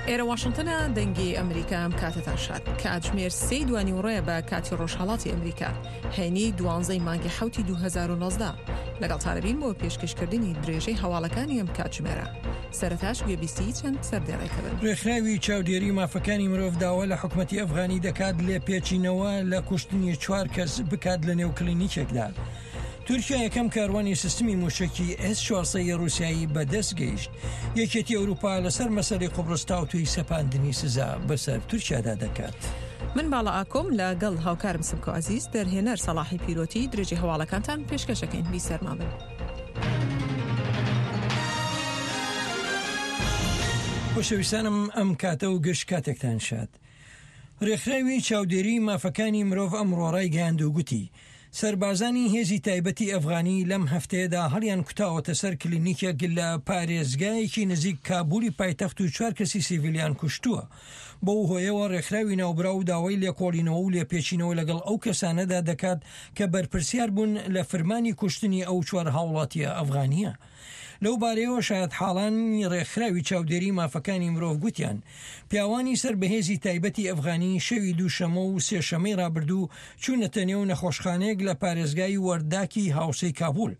ئێرە واشنتنە دەنگی ئەمریکا ئەم کاتەتان شاد کاتژمێر سێی دوانیوڕێ بە کاتی ڕۆژهەڵاتی ئەمریکا هەینی دوانزەی مانگی حوتی 2019 لەگەڵتانەبین بۆ پێشکەشکردنی درێژەی هەواڵەکانی ئەم کاتژمێرە سەرەتاش گوێبیستی چەند سەردێڕێکە بن. ڕێکخراوی چاودێری مافەکانی مرۆڤ داوا لە حکومەتی ئەفغانی دەکات لێپێچینەوە لە کوشتنی چوار کەس بکات لە نێو کلینیکێکدا. تورکیا یەکەم کاروانی سیستمی موشەکی ئێس 400 ی ڕووسیایی بەدەست گەیشت. یەکێتی ئەوروپا لەسەر مەسەلەی قوبرس تاوتوێی سەپاندنی سزا بەسەر تورکیادا دەکات. من باڵا ئاکۆم لە گەڵ هاوکارم سمکۆ عەزیز، دەرهێنەر سەڵاحی پیرۆتی، درێژەی هەواڵەکانتان پێشکەش ئەکەین. بیسەرمان بن. خۆشەویستانم ئەم کاتە و گشت کاتێکتان شاد. رێکخراوی چاودێریی مافەکانی مرۆڤ ئەمڕۆ رایگەیاند و گوتی، سەربازانی هێزی تایبەتی ئەفغانی لەم هەفتەیەدا هەڵیانکوتاوەتە سەر کلینیکێک لە پارێزگایەکی نزیک کابولی پایتەخت و چوار کەسی سیڤیلیان کوشتووە. بەو هۆیەوە رێکخراوی ناوبراو داوای لێکۆڵینەوە و لێپێچینەوە لەگەڵ ئەو کەسانەدا دەکات کە بەرپرسیار بوون لە فرمانی کوشتنی ئەو چوار هاوڵاتییە ئەفغانییە. لەو بارەیەوە شایەتحاڵانی ڕێکخراوی چاودێری مافەکانی مرۆڤ گوتیان، پیاوانی سەر بە هێزی تایبەتی ئەفغانی شەوی دووشەممە و سێشەممەی ڕابردوو چوونەتە نێو نەخۆشخانەیەک لە پارێزگای وەرداکی هاوسێی کابول.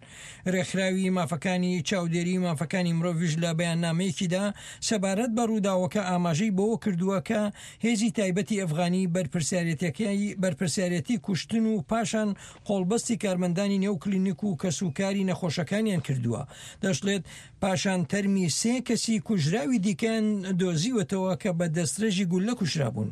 ڕێکخراوی مافەکانی چاودێری مافەکانی مرۆڤیش لە بەیاننامەیەکیدا سەبارەت بە ڕووداوەکە ئاماژەی بەوە کردووە کە هێزی تایبەتی ئەفغانی بەرپرسیارێتیەکەی بەرپرسیارێتی کوشتن و پاشان قۆڵبەستی کارمەندانی نێو کلینیک و کەسوکاری نەخۆشەکانیان کردووە. دەشڵێت، پاشان تەرمی سێ کەسی کوژراوی دیکەیان دۆزیوەتەوە کە بە دەستڕێژی گوللە کوژرابوون.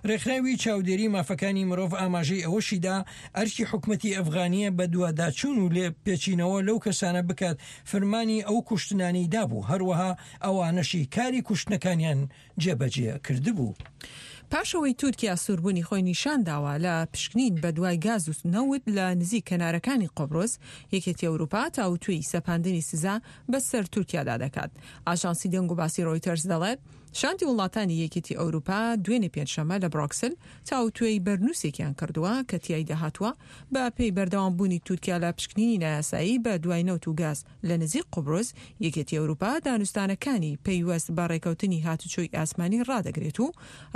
رێکخراوی چاودێری مافەکانی مرۆڤ ئاماژەی ئەوەشیدا، ئەرکی حکومەتی ئەفغانییە بەدواداچوون و لێپێچینەوە لەو کەسانە بکات فرمانی ئەو کوشتنانەی دابوو، هەروەها ئەوانەشی کاری کوشتنەکانیان جێبەجێ کردبوو. پاش ئەوەی تورکیا سووربوونی خۆی نیشان داوە لە پشکنین بە دوای گاز و نەوت لە نزیک کەنارەکانی قوبرس، یەکێتی ئەوروپا تاوتوێی سەپاندنی سزا بە سەر تورکیادا دەکات. ئاژانسی دەنگوباسی رۆیتەرز دەڵێت، شاندی وڵاتانی یەکێتی ئەوروپا دوێنێ پێنجشەممە لە برۆکسل تاوتوێی بەرنووسێکیان کردووە کە تیایدا هاتووە بە پێی بەردەوامبوونی تورکیا لە پشکنینی نایاسایی بە دوای نەوت و گاز لە نزیک قوبرس، یەکێتی ئەوروپا دانوستانەکانی پەیوەست بە ڕێکەوتنی هاتوچۆی ئاسمانی ڕادەگرێت و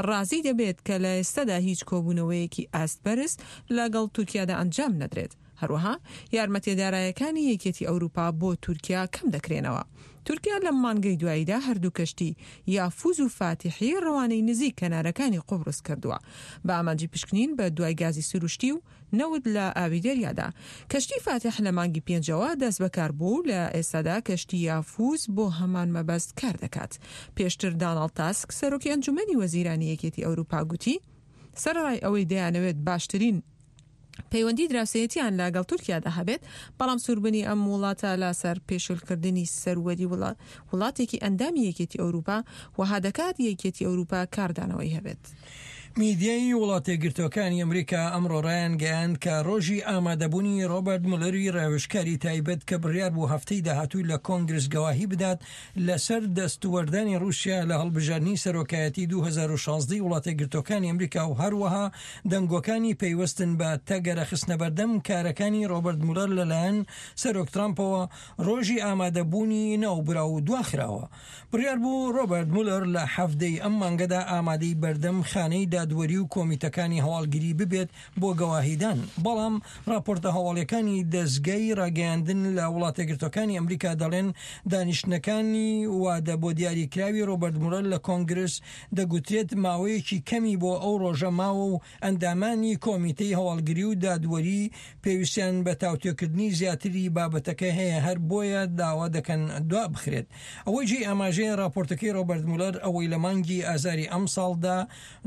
ڕازی دەبێت کە لە ئێستادا هیچ کۆبوونەوەیەکی ئاست بەرز لەگەڵ تورکیادا ئەنجام نەدرێت. هەروەها یارمەتیە دارایەکانی یەکێتی ئەوروپا بۆ تورکیا کەم دەکرێنەوە. تورکیا لەم مانگەی دواییدا هەردوو کەشتی یافوز و فاتیحی ڕەوانەی نزیک کەنارەکانی قوبرس کردووە بە ئامانجی پشکنین بە دوای گازی سروشتی و نەوت لە ئاوی دەریادا. کەشتی فاتیح لە مانگی پێنجەوە دەستبەکار بوو و لە ئێستادا کەشتی یافوز بۆ هەمان مەبەست کار دەکات. پێشتر داناڵد تاسک، سەرۆکی ئەنجومەنی وەزیرانی یەکێتی ئەوروپا گوتی، سەرەڕای ئەوەی دەیانەوێت باشترین پەیوەندی دراوسێیەتیان لە گەڵ تورکیادا هەبێت، بەڵام سووربوونی ئەم وڵاتە لە سەر پێشلکردنی سەروەری وڵاتێکی ئەندامی یەکێتی ئەوروپا وەها دەکات یەکێتی ئەوروپا کاردانەوەی هەبێت. میدیای وڵاتەیەکگرتووەکانی ئەمریکا ئەمڕۆ ڕایانگەیاند کە ڕۆژی ئامادەبوونی ڕۆبەرت مولەری ڕاوێژکاری تایبەت کە بڕیار بوو هەفتەی داهاتوو لە کۆنگرس گەواهی بدات لەسەر دەستوەردانی ڕووسیا لە هەڵبژاردنی سەرۆکایەتی 2016 ی وڵاتەیەکگرتووەکانی ئەمریکا و هەروەها دەنگۆکانی پەیوەستن بە تەگەرە خستنەبەردەم کارەکانی ڕۆبەرت مولەر لەلایەن سەرۆک ترامپەوە ڕۆژی ئامادەبوونی ناوبراو دواخراوە. بڕیار بوو ڕۆبەرت مولەر لە حەڤدە ی ئەم مانگەدا ئامادەی بەردەم خانەی دادوەری و کۆمیتەکانی هەواڵگری ببێت بۆ گەواهیدان، بەڵام ڕاپۆرتە هەواڵیەکانی دەزگای ڕاگەیاندن لە وڵاتەیەکگرتوەکانی ئەمریکا دەڵێن دانیشتنەکانی وادە بۆ دیاریکراوی ڕۆبەرت مولەر لە کۆنگرس دەگوترێت ماوەیەکی کەمی بۆ ئەو ڕۆژە ماوە و ئەندامانی کۆمیتەی هەواڵگری و دادوەری پێویستیان بە تاوتوێکردنی زیاتری بابەتەکە هەیە هەر بۆیە داوا دەکەن دوابخرێت. ئەوەی جێی ئاماژەیە راپۆرتەکەی رۆبەرت مولەر ئەوەی لە مانگی ئازاری ئەمساڵدا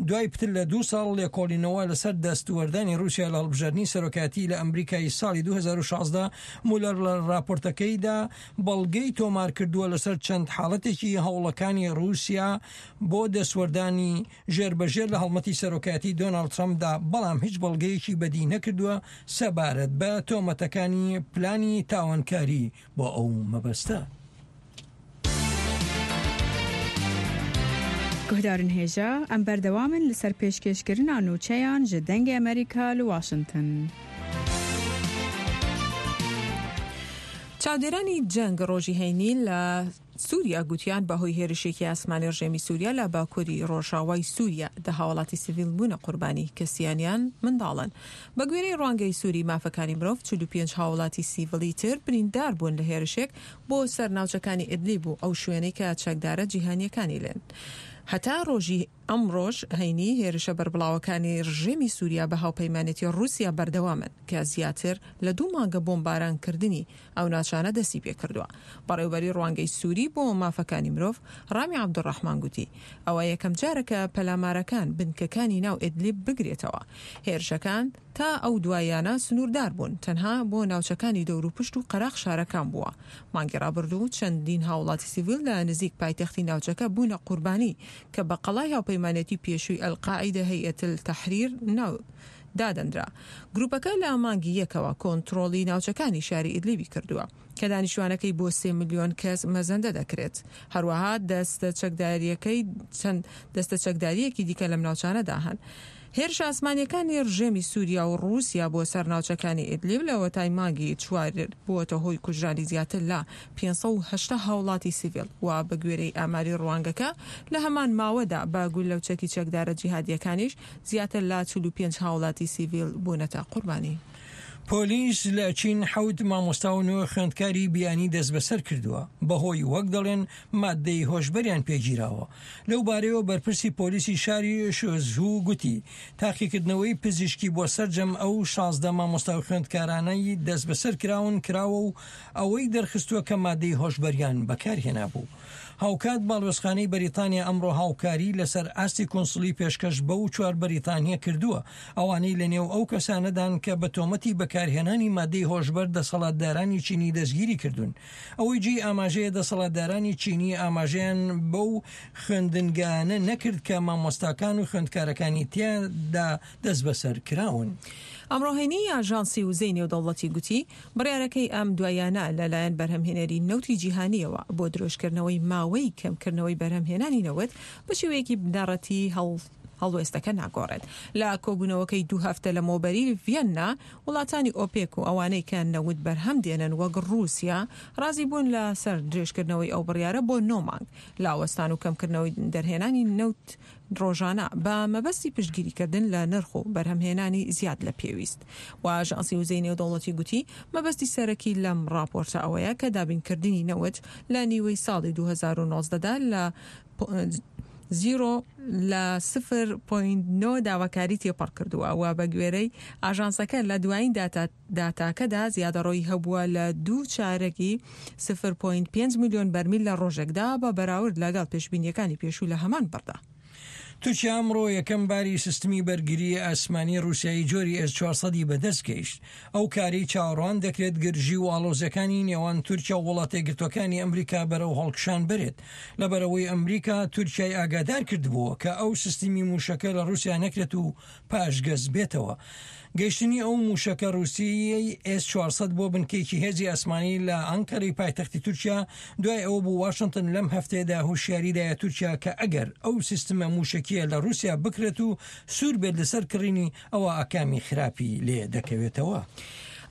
دوای پتر لە دوو ساڵ لێکۆڵینەوە لەسەر دەستوەردانی رووسیا لە هەڵبژاردنی سەرۆکایەتی لە ئەمریکای ساڵی 2016 مولەر لە راپۆرتەکەیدا بەڵگەی تۆمارکردووە لەسەر چەند حاڵەتێکی هەوڵەکانی رووسیا بۆ دەستوەردانی ژێربەژێر لە هەڵمەتی سەرۆکایەتی دۆناڵد ترەمپدا، بەڵام هیچ بەڵگەیەکی بەدی نەکردووە سەبارەت بە تۆمەتەکانی پلانی تاوانکاری بۆ ئەو مەبەستە. Guhdarên hêja, em berdewam in li ser pêşkêşkirina nûçeyan ji Dengê Amerîka li Washington. چاودێرانی جەنگ ڕۆژی هەینی لە سووریا گوتیان بەهۆی هێرشێکی ئاسمانی ڕژێمی سووریا لە باکووری ڕۆژاوای سووریا دە هاوڵاتی سڤیل بوونە قوربانی کە سیانیان منداڵن. بە گوێرەی ڕوانگەی سووری مافەکانی مرۆڤ 45 هاوڵاتی سیڤڵی تر بریندار بوون لە هێرشێک بۆ سەر ناوچەکانی ئیدلیب و ئەو شوێنەی کە چەکدارە جیهانییەکانی لێن. هەتا ڕۆژی ئەمڕۆش هەینی هێرشە بەربڵاوەکانی ڕژێمی سووریا بە هاوپەیمانێتی ڕووسیا بەردەوامن کە زیاتر لە دوو مانگە بۆمبارانکردنی ئەو ناچانە دەستی پێکردووە. بەڕێوبەری ڕوانگەی سووری بۆ مافەکانی مرۆڤ، ڕامی عەبدولڕەحمان گوتی، ئەوە یەکەمجارە کە پەلامارەکان بنکەکانی ناو ئیدلیب بگرێتەوە. هێرشەکان تا ئەو دواییانە سنووردار بوون، تەنها بۆ ناوچەکانی دەوروپشت و قەراخ شارەکان بووە. مانگی ڕابردوو چەندین هاوڵاتی سیڤیل لە نزیک پایتەختی ناوچەکە بوونە قوربانی کە بە قەڵای هاوپەیمانێتی پێشووی ئەلقاعیدە هەیئەت التحریر ناو دادەنرا. گروپەکە لە مانگی یەکەوە کۆنترۆڵی ناوچەکانی شاری ئیدلیبی کردووە کە دانیشتوانەکەی بۆ سێ ملیۆن کەس مەزەندە دەکرێت. هەروەها دەستە چەکدارییەکەی چەند دەستە چەکدارییەکی دیکە لەم ناوچانەدا هەن. هێرشە ئاسمانییەکانی ڕژێمی سووریا و ڕووسیا بۆ سەر ناوچەکانی ئیدلیب لەوەتای مانگی چوار بووەتە هۆی کوژرانی زیاتر لە 580 هاوڵاتی سیڤیل و بەگوێرەی ئاماری ڕوانگەکە لە هەمان ماوەدا بە گوللە و چەکی چەکدارە جیهادییەکانیش زیاتر لە 45 هاوڵاتی سیڤیل بوونەتە قوربانی. پۆلیس لە چین حەوت مامۆستا و نۆ خوێندکاری بیانی دەستبەسەر کردووە، بەهۆی وەک دەڵێن ماددەی هۆشبەریان پێگیراوە. لەو بارەیەوە بەرپرسی پۆلیسی شاری شۆزهو گوتی، تاقیکردنەوەی پزیشکی بۆ سەرجەم ئەو 16 مامۆستا و خوێندکارانەی دەستبەسەر کراون کراوە و ئەوەی دەرخستووە کە ماددەی هۆشبەریان بەکارهێنابوو. هاوکات باڵوێزخانەی بەریتانیا ئەمڕۆ هاوکاری لەسەر ئاستی کونسڵی پێشکەش بەو چوار بەریتانییە کردووە، ئەوانەی لەنێو ئەو کەسانەدان کە بە تۆمەتی بەکارهێنانی ماددەی هۆشبەر دەسەڵاتدارانی چینی دەستگیری کردوون. ئەوەی جێی ئاماژەیە دەسەڵاتدارانی چینی ئاماژەیان بەو خوێندنگایانە نەکرد کە مامۆستاکان و خوێندکارەکانی تیادا دەستبەسەر کراون. ئەمڕۆ هەینی ئاژانسی وزەی نێودەوڵەتی گوتی، بڕیارەکەی ئەم دواییانە لەلایەن بەرهەمهێنەری نەوتی جیهانییەوە بۆ درێژکردنەوەی ماوەی کەمکردنەوەی بەرهەمهێنانی نەوت بە شێوەیەکی بنەڕەتی هەڵوێستەکە ناگۆڕێت. لە کۆبوونەوەکەی دوو هەفتە لەمەوبەری ڤیەننا، وڵاتانی ئۆپێک و ئەوانەی کە نەوت بەرهەم دێنن وەک ڕووسیا ڕازی بوون لە سەر درێژکردنەوەی ئەو بڕیارە بۆ نۆ مانگ لە وەستان و کەمکردنەوەی دەرهێنانی نەوت ڕۆژانە بە مەبەستی پشتگیریکردن لە نرخ و بەرهەمهێنانی زیاد لە پێویست. و ئاژانسی وزەی نێودەوڵەتی گوتی مەبەستی سەرەکی لەم ڕاپۆرتە ئەوەیە کە دابینکردنی نەوت لە نیوەی ساڵی 2019 دا لە زیرۆ لە سفر پۆینت نۆ داواکاری تێپەڕ کردووە و بە گوێرەی ئاژانسەکە لە دوایین داتاکەدا زیادەڕۆیی هەبووە لە دوو چارەکی سفر پۆینت پێنج ملیۆن بەرمیل لە ڕۆژێکدا بە بەراورد لەگەڵ پێشبینییەکانی پێشوو لە هەمان بڕدا. تورکیا ئەمڕۆ یەکەم باری سیستمی بەرگریی ئاسمانی ڕووسیایی جۆری ئێس 400 ی بەدەست گەیشت. ئەو کارەی چاوەڕوان دەکرێت گرژی و ئاڵۆزیەکانی نێوان تورکیا و وڵاتەیەکگرتووەکانی ئەمریکا بەرەو هەڵکشان بەرێت. لەبەرئەوەی ئەمریکا تورکیای ئاگادار کردبووە کە ئەو سیستمی مووشەکە لە ڕووسیا نەکرێت و پاشگەز بێتەوە. گەیشتنی ئەو مووشەکە ڕووسییەی ئێس 400 بۆ بنکەیەکی هێزی ئاسمانی لە ئەنکەرەی پایتەختی تورکیا دوای ئەوە بوو واشنتن لەم هەفتەیەدا هوشیاری دایە تورکیا کە ئەگەر ئەو سیستمە مووشەکییە لە ڕووسیا بکرێت و سوور بێت لەسەر کڕینی ئەوا ئاکامی خراپی لێ دەکەوێتەوە.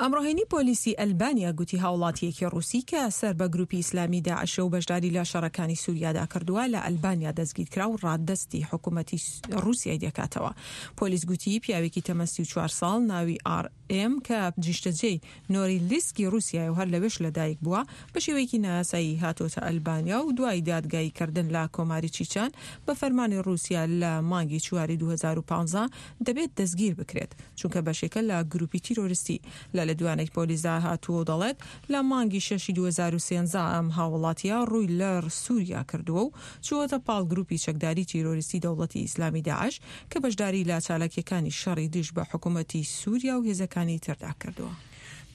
ئەمڕۆ هەینی پۆلیسی ئەلبانیا گوتی هاوڵاتییەکی ڕووسی کە سەر بە گروپی ئیسلامی داعشە و بەشداری لە شەڕەکانی سوریادا کردووە لە ئەلبانیا دەستگیرکرا و ڕادەستی حکومەتی ڕووسیای دەکاتەوە. پۆلیس گوتی پیاوێکی تەمەن 34 ساڵ ناوی ئاڕ ئێم کە نیشتەجێی نۆریلسکی ڕووسیایە و هەر لەوێش لەدایک بووە، بە شێوەیەکی نایاسایی هاتۆتە ئەلبانیا و دوای دادگاییکردن لە کۆماری چیچان بە فەرمانی ڕووسیا لە مانگی چواری 2015 دەبێت دەستگیر بکرێت چونکە بەشێکە لە گروپی تیرۆریستی. لە لێدوانێکی پۆلیسدا هاتووە و دەڵێت، لە مانگی شەشی 2013 ئەم هاووڵاتییە ڕووی لە سووریا کردووە و چووەتە پاڵ گروپی چەکداری تیرۆریستی دەوڵەتی ئیسلامی داعش کە بەشداری لە چالاکییەکانی شەڕی دژ بە حکوومەتی سووریا و هێزەکانی تردا کردووە.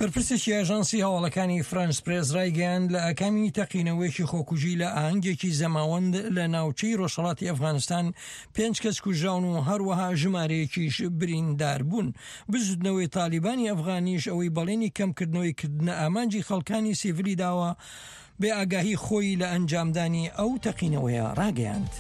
بەرپرسێکی ئاژانسی هەواڵەکانی فرانس پرێس ڕایگەیاند، لە ئاکامی تەقینەوەیەکی خۆکوژی لە ئاهەنگێکی زەماوەند لە ناوچەی ڕۆژهەڵاتی ئەفغانستان پێنج کەس کوژراون و هەروەها ژمارەیەکیش بریندار بوون. بزوتنەوەی تالیبانی ئەفغانیش ئەوەی بەڵێنی کەمکردنەوەی کردنە ئامانجی خەڵکانی سیڤلی داوە، بێ ئاگاهی خۆی لە ئەنجامدانی ئەو تەقینەوەیە ڕاگەیاند.